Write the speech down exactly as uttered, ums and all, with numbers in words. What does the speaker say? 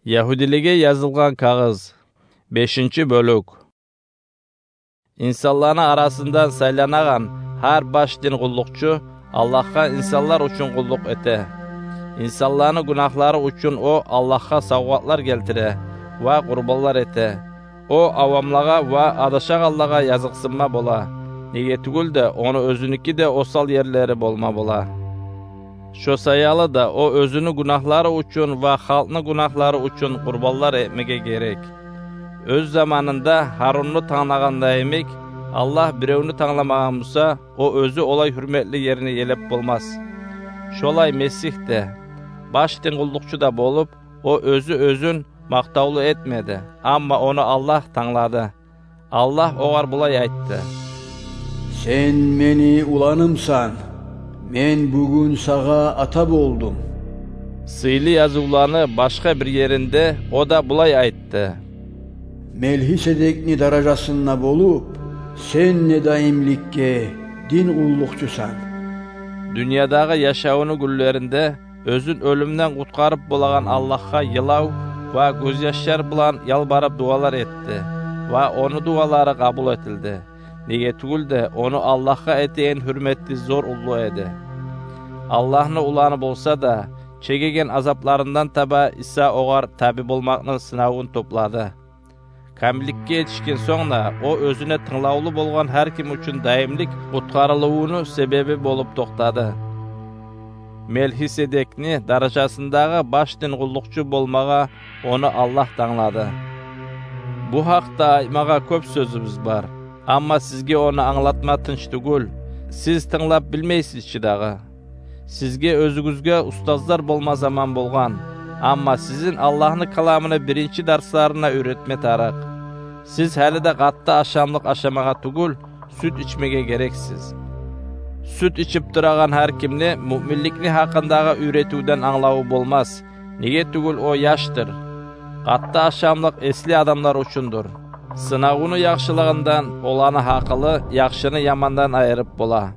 Ягьудилеге язылгъан кагъыз. Бешинчи бёлюк. Инсанланы арасындан сайланагъан гьар баш дин къуллукъчу Аллагьгъа инсанлар учун къуллукъ эте. Инсанланы гюнагьлары учун о Аллагьгъа савгъатлар гелтире ва къурбанлар эте. О авамлагъа ва адашагъанлагъа языкъсынма бола. Неге тюгюл де, ону оьзюнюки де осал ерлери болма бола. Шо саялы да о оьзюню гюнагьлары учун ва халкъны гюнагьлары учун къурбанлар этмеге герек. Оьз заманында Гьарунну танглагъанда йимик, Аллагь биревню тангламагъан буса, о оьзю олай гьюрметли ерни елеп болмас. Шолай Месигь де, баш дин къуллукъчу да болуп, о оьзю оьзюн макътавлу этмеди, амма ону Аллагь танглады. Аллагь огъар булай айтды: «Сен мени уланымсан, мен бугюн сагъа ата болдум». Сыйлы язывланы башгъа бир еринде о да булай айтды: «Мелхиседекни даражасында болуп, сен де даимликге дин къуллукъчусан». Дюньядагъы яшавуну гюнлеринде оьзюн оьлюмден къутгъарып болагъан Аллагьгъа йылав ва гёзьяшлар булан ялбарып дуалар этди ва ону дуалары къабул этилди. Неге тюгюл де, ону Аллагьгъа этеген гьюрмети зор уллу эди. Аллагьны уланы болса да, чегеген азапларындан таба Иса огъар таби болмакъны сынавун топлады. Камилликге етишген сонг да, о оьзюне тынглавлу болгъан гьар ким учун даимлик къутгъарылывуну себеби болуп токътады. Мелхиседекни даражасындагъы баш дин къуллукъчу болмагъа ону Аллагь танглады. Бу гьакъда айтмагъа кёп сёзюбюз бар, амма сизге ону англатма тынч тюгюл, сиз тынглап билмейсиз чи дагъы. Сизге оьзюгюзге устазлар болма заман болгъан, амма сизин Аллагьны каламыны биринчи дарсларына уьйретме тарыкъ. Сиз гьали де къатты ашамлыкъ ашамагъа тюгюл, сют ичмеге герексиз. Сют ичип турагъан гьар кимни муъминликни гьакъындагъы уьйретивден англаву болмас, неге тюгюл о яшдыр. Къатты ашамлыкъ эсли адамлар учундур. Сынавуну яхшылыгъындан оланы гьакъылы яхшыны ямандан айырып бола.